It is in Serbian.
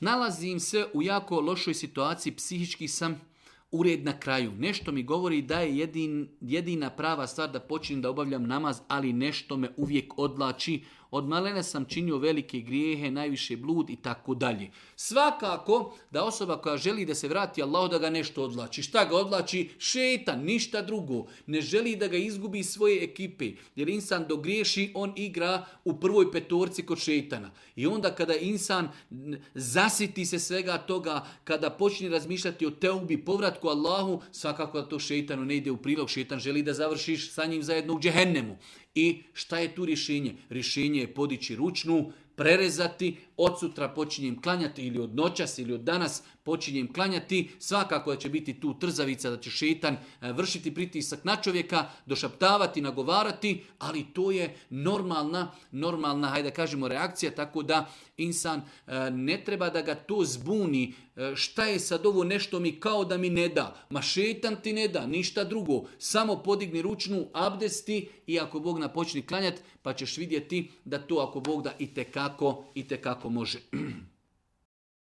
Nalazim se u jako lošoj situaciji, psihički sam ured na kraju. Nešto mi govori da je jedina prava stvar da počnem da obavljam namaz, ali nešto me uvijek odlači. Od malena sam činio velike grijehe, najviše blud i tako dalje. Svakako da osoba koja želi da se vrati Allahu da ga nešto odlači. Šta ga odlači? Šetan, ništa drugo. Ne želi da ga izgubi svoje ekipe. Jer insan dogriješi, on igra u prvoj petorci kod šetana. I onda kada insan zasiti se svega toga, kada počne razmišljati o teubi, povratku Allahu, svakako da to šetanu ne ide u prilog. Šetan želi da završiš sa njim zajedno u džehennemu. I šta je tu rješenje? Rješenje je podići ručnu, prerezati, od sutra počinjem klanjati ili od noćas ili od danas počinjem klanjati. Svakako da će biti tu trzavica, da će šetan vršiti pritisak na čovjeka, došaptavati, nagovarati, ali to je normalna, hajde da kažemo, reakcija, tako da insan ne treba da ga to zbuni. Šta je sad ovo, nešto mi kao da mi ne da? Ma šetan ti ne da, ništa drugo. Samo podigni ručnu, abdesti i ako Bog napočni klanjati, pa ćeš vidjeti da to ako Bog da itekako može.